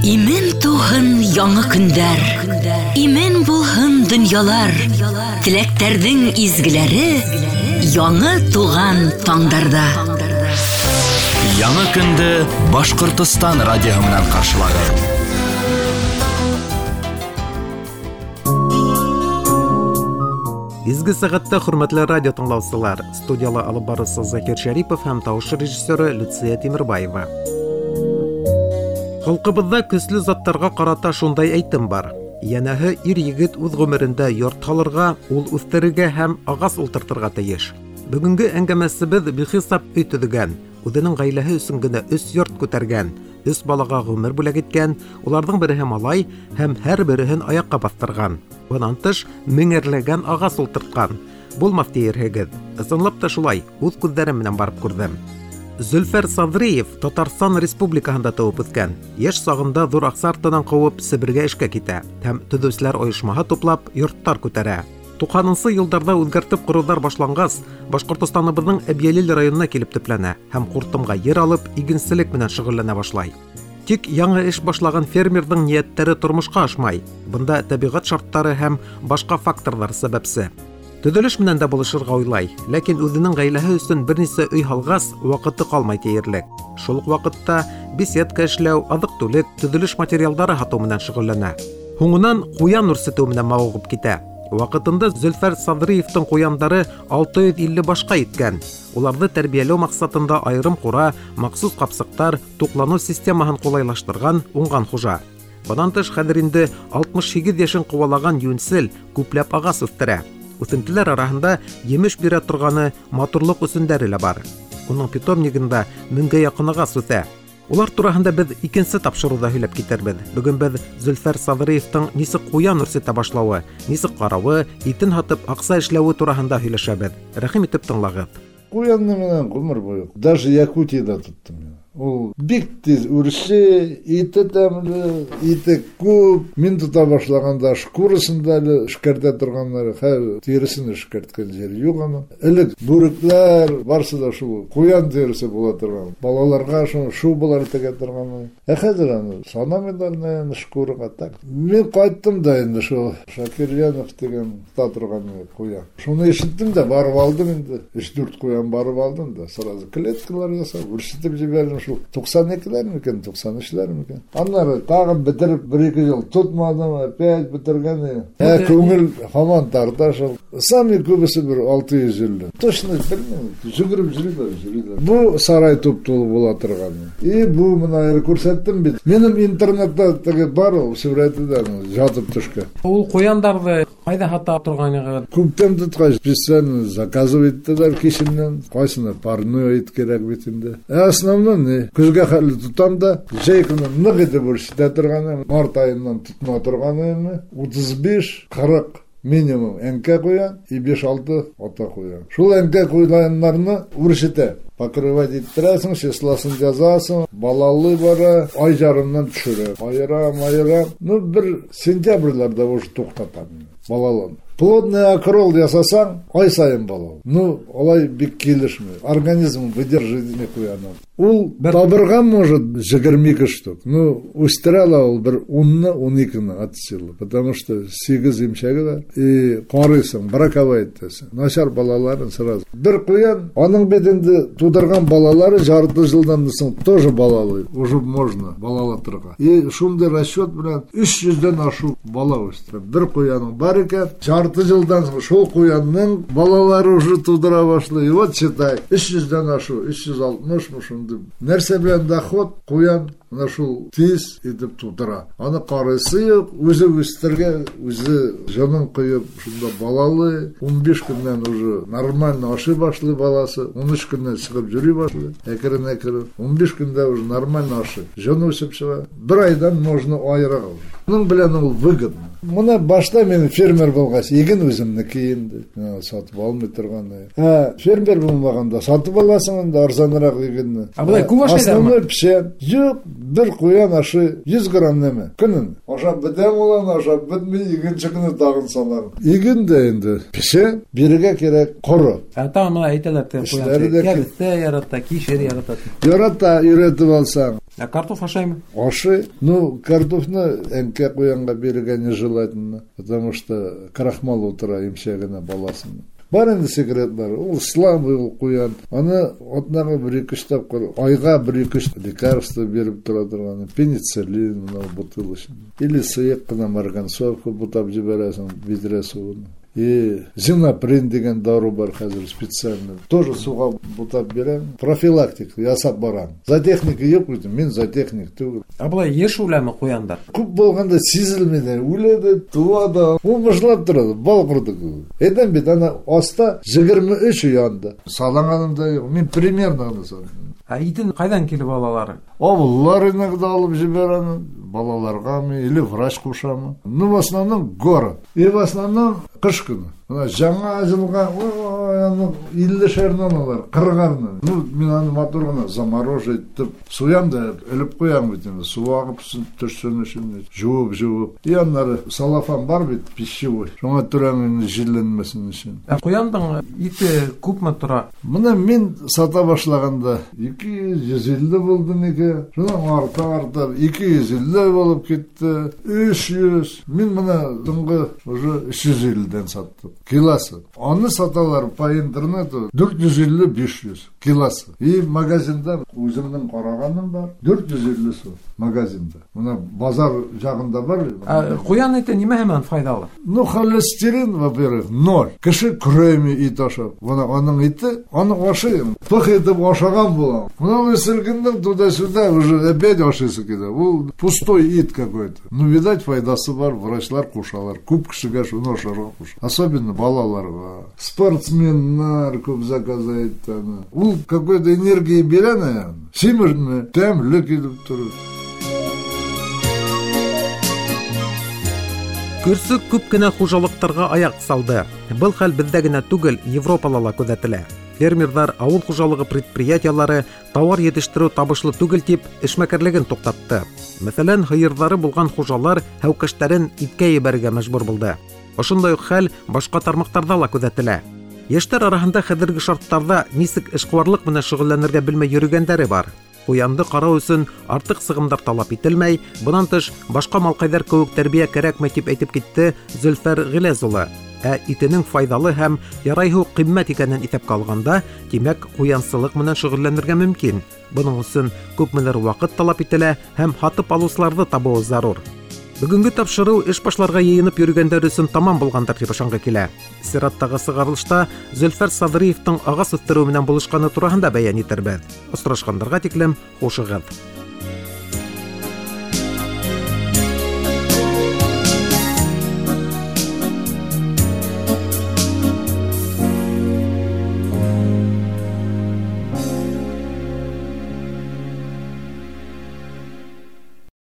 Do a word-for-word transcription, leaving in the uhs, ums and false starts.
Имен тыуһын яңы көндәр, имен булһын донъялар, теләктәрҙең изгеләре яңы туған таңдарҙа. Яңы көндө Башҡортостан радиоһы менән ҡаршылағыҙ. Изге сәғәттә хөрмәтле радио тыңлаусылар, студияла алып барыусы Закир Шәрипов һәм тауыш режиссеры Люция Тимербаева. Халҡыбыҙҙа көслө заттарға ҡарата шундай әйтем бар. Йәнәһе, ир-егет үҙ ғүмерендә йорт һалырға, ул үҫтерергә һәм ағас ултыртырға тейеш. Бөгөнгө әңгәмәсебеҙ бихисап өй төҙөгән, үҙенең ғаиләһе өсөн генә өс йорт күтәргән, өс балаға ғүмер бүләк иткән, уларҙың береһе малай һәм һәр береһен аяҡҡа баҫтырған. Бынан тыш, меңәрләгән ағас ултыртҡан. Булмаҫ тиерһегеҙ. Ысынлап та шулай, үҙ күҙҙәрем менән барып күрҙем. Зөлфәр Садриев Татарстан Республикаһында тыуып үҫкән. Йәш сағында ҙур аҡса артынан ҡыуып Себергә эшкә китә һәм төҙөүселәр ойошмаһы туплап йорттар күтәрә. Туҡһанынсы йылдарҙа үҙгәртеп ҡороуҙар башланғас, Башҡортостаныбыҙҙың Әбйәлил районына килеп төпләнә һәм ҡуртымға ер алып игенселек менән шөғөлләнә башлай. Тик яңы эш башлаған фермерҙың ниәттәре тормошҡа ашмай. Бында тәбиғәт шарттары һәм башҡа факторҙар сәбәпсе. Төҙөлөш менән дә булышырға уйлай, ләкин үҙенең ғаиләһе өсөн бер нисә өй һалғас, ваҡыты ҡалмай тиерлек. Шул уҡ ваҡытта беседка эшләү, аҙыҡ-түлек, төҙөлөш материалдары һатыу менән шөғөлләнә. Һуңынан ҡуян үрсетеү менән мауығып китә. Ваҡытында Зөлфәр Садриевтың ҡуяндары алты йөҙ илле башҡа еткән. Уларҙы тәрбиәләү маҡсатында айырым ҡура, махсус ҡапсыҡтар, туҡланыу системаһын ҡулайлаштырған уңған хужа. Бынан тыш, хәҙер инде алтмыш һигеҙ йәшен ҡыуалаған йүнсел күпләп ағас үҫтерә. Үҫентеләр араһында емеш бирә торғаны матурлыҡ өсөндәре лә бар. Уның питомнигында меңгә яҡын ағас үҫә. Улар тураһында беҙ икенсе тапшырыуҙа һөйләп китербеҙ. Бөгөн беҙ Зөлфәр Садриевтың нисек ҡуян үрсетә башлауы, нисек ҡарауы, итен һатып аҡса эшләүе тураһында һөйләшәбеҙ. Рәхим итеп тыңлағыҙ. Ҡуянны менән ғүмер буйы даже Якутияда тоттом мин. Ул бик тиҙ үрсе, ите тәмле, ите күп. Мин тота башлағанда шкурасын да әле эшкәртә торғандар, хәҙер тиреһен эшкәрткән ер юҡ аның. Элек бүректәр, барысы да шул ҡуян тиреһе була торған. Балаларға шул шубалар тегә торған. Ә хәҙер аны санамайҙар, наверное, шкураға так. Мин ҡайттым да инде шул Шакирьянов тигән тота торған ҡуян. Шуны ишеттем дә барып алдым инде. Өс-дүрт ҡуян барып алдым да, сразу клеткалар ясап, үрсетеп ебәрҙем. Шул туҡсан икеләр микән, туҡсан өсләр микән. Аннары тағын бетереп бер-ике йыл тотмадым, опять бетергән. Ә күңел һаман тарта шул. Сами күбесе бер алты йөҙ илле. Точно белмәйем. Йүгереп йөрөйләр, йөрөйләр. Бу сарай туп-тулы була торған. И бу мына әле күрһәттем бит. Минең интернетта теге бар ул сүрәте дә ятып төшкән. Ул ҡуяндарҙы ҡайҙа һата торғанығыҙ? Күптән тотҡас, специально заказывать иттеләр кешенән. Ҡайсына парной ит кәрәк бит инде. Ә основном не, көҙгә хәтле тотам да, җәй көне ныҡ итеп үрсетә торғаны, март айыннан тотма торғаны, утыҙ биш, ҡырыҡ минимум әңкә ҡуян и биш-алты ата ҡуян. Шул әңкә ҡуяннарны үрсетә. Покрывать иттерәсең, числосын язасың, балалы бара, ай ярымнан төшөрә. Айырам, айырам. Ну, бер сентябрьләрдә уже туҡтатам балаларын. Плотный окрол ясасаң, ай сайын балалы. Ну, алай бик килешмәй. Организм выдерживает итмәй ҡуяны. Ул табырға может егерме ике штук. Ну, үҫтерә ала ул бер унны, ун икене от силы. Потому что һигеҙ имшәге бар. И ҡарайһың, браковать итәсең. Насар балаларын сразу. Бер ҡуян, аның бит инде тудырған балалары жарты жылдан соң тоже балалы. Уже можно балалатырға. И шундай расчет белән өс йөҙҙән ашыу бала үҫтерә. Бер ҡуяның бар икән, жарты жылдан соң шул ҡуянның балалары уже тудыра башлай. И вот считай, өс йөҙҙән ашыу, өс йөҙ алтмышмы шундай. Нәрсә белән доход ҡуян мына шул тиҙ итеп тутыра. Аны ҡарайсы юҡ, үҙе үҫтергән, үҙе җанын ҡуйып, шунда балалы. Ун биш көннән уже нормально ашый башлай баласы, ун өс көннән сығып йөрөй башлай, әкрен-әкрен. Ун биш көндә уже нормально ашый. Җаны үсеп сыға. Бер айдан можно айырырға. Уның белән ул выгодно. Мына башта мин фермер булғас, иген үҙемдеке инде. Сатып алмай торған. Ә фермер булмағанда сатып аласың инде арзаныраҡ игенне. Ә былай күп ашайҙармы? Основной пешән. Юҡ, бер ҡуян ашы йөҙ грамм нәмә. Көнөн. Ашап бөтәм улан, ашап бөтмәй, икенсе көнө тағын салам. Иген дә инде пешә, бирергә кәрәк ҡоро. Ә тағы мына әйтәләр, ҡуян Эшләре дә кәбеҫтә ярата, кишер ярата. Ярата, өйрәтеп алсаң. Ә картоф ашаймы? Ашай. Ну, картофны әнкә ҡуянға бирергә нежелательно, потому что крахмал ултыра имсәгенә баласына. Бар инде секретлар. Ул слабый ул ҡуян. Аны атнаға бер ике өс тапҡыр, айға бер ике өс лекарство биреп тора торған. Пенициллин мынау бутылочный. Или сыйыҡ ҡына марганцовка бутап ебәрәһең биҙрә һыуына. И зинаприн дигән дару бар хәҙер специально. Тоже һыуға бутап бирәм. Профилактика ясап барам. Зоотехника юҡ бит, мин зоотехник түгел. Ә былай йыш үләме ҡуяндар? Күп булғанда сизелмәй, үлә дә, тыуа да. Ул мыжлап тора, бал ҡорто кеүек. Әйтәм бит, ана аҫта егерме өс янды. Салынғаным да юҡ. Мин примерно ғына салдым. Ә итен ҡайҙан килеп алалар? Ауыллар иногда алып ебәрәне, балаларғамы, или врач ҡушамы. Ну, в основном город. И в основном ҡыш көнө. Бына яңы йылға, ой, аны иллешәренән алар, ҡырҡарынан. Ну, мин аны матур ғына заморожить итеп суям да элеп ҡуям бит инде. Һыу ағып төшһөн өсөн, жыуып, жыуып. И аннары салафан бар бит, пищевой. Шуңа төрәм инде җилләнмәсен өсөн. Ә ҡуяндың ите күпме тора? Бына мин сата башлағанда ике йөҙ, йөҙ илле булды микән? Шунан арта-арта ике йөҙ илле булып китте, өс йөҙ. Мин бына һуңғы уже өс йөҙ илледән саттым. Килосы. Аны саталар по интернету дүрт йөҙ илле, биш йөҙ килосы. И магазинда үҙемдең ҡарағаным бар, дүрт йөҙ илле сум магазинда. Бына базар яғында бар. Ә ҡуян ите нимә менән файҙалы? Ну, холестерин, во-первых, ноль. Кеше көрәйме ит ашап. Бына уның ите, аны ашайым. Пых итеп ашаған булам. Бына ул селкендең туда-сюда уже опять ашайсы килә. Ул пустой ит какой-то. Ну, видать, файҙасы бар, врачлар ҡушалар. Күп кешегә шуны ашарға ҡуша. Особенно балаларға. Спортсменнар күп заказ итә аны. Ул какой-то энергия бирә, наверное. Симерме, тәмле килеп тора. Көрсөк күп кенә хужалыҡтарға аяҡ салды. Был хәл беҙҙә генә түгел, Европала ла күҙәтелә. Фермерҙар, ауыл хужалығы предприятиялары тауар етештереү табышлы түгел тип эшмәкәрлеген туҡтатты. Мәҫәлән, һыйырҙары булған хужалар һәүкәштәрен иткә ебәрергә мәжбүр булды. Ошондай уҡ хәл башҡа тармаҡтарҙа ла күҙәтелә. Йәштәр араһында хәҙерге шарттарҙа нисек эшҡыуарлыҡ менән шөғөлләнергә белмәй йөрөгәндәре бар. Ҡуянды ҡарау өсөн артыҡ сығымдар талап ителмәй, бынан тыш башҡа малҡайҙар кеүек тәрбиә кәрәкмәй тип әйтеп китте Зөлфәр Ғиләз улы. Ә итенең файҙалы һәм ярайһы ҡиммәт икәнен иҫәпкә алғанда, тимәк, ҡуянсылыҡ менән шөғөлләнергә мөмкин. Бының өсөн күпмелер ваҡыт талап ителә һәм һатып алыусыларҙы табыу зарур. Бөгөнгө тапшырыу эш башларға йыйынып йөрөгәндәр өсөн тамам булғандар тип ышанғы килә. Сираттағы сығарылышта Зөлфәр Садриевтың ағас үҫтереү менән булышҡаны тураһында бәйән итербеҙ. Осрашҡандарға тиклем хушығыҙ.